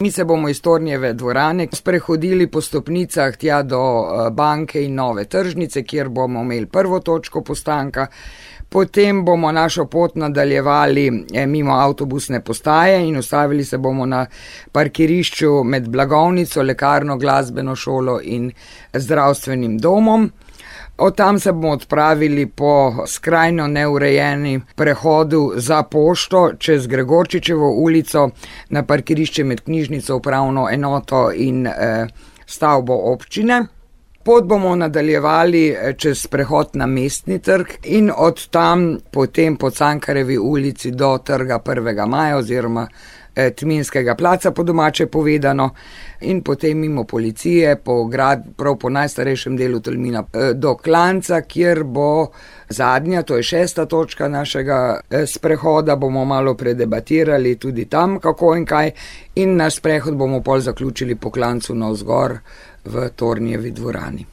Mi se bomo iz Tornjeve dvorane sprehodili po stopnicah tja do banke in Nove tržnice, kjer bomo imeli prvo točko postanka. Potem bomo našo pot nadaljevali mimo avtobusne postaje in ustavili se bomo na parkirišču med blagovnico, lekarno, glasbeno šolo in zdravstvenim domom. Od tam se bomo odpravili po skrajno neurejeni prehodu za pošto čez Gregorčičevo ulico na parkirišče med knjižnico, upravno enoto in stavbo občine. Pot bomo nadaljevali čez prehod na Mestni trg in od tam potem po Cankarjevi ulici do Trga 1. maja oziroma Tminskega placa, po domače povedano, in potem mimo policije, prav po najstarejšem delu Tolmina do Klanca, kjer bo zadnja, to je 6. točka našega sprehoda, bomo malo predebatirali tudi tam, kako in kaj, in naš sprehod bomo pol zaključili po Klancu navzgor v Tornjevi dvorani.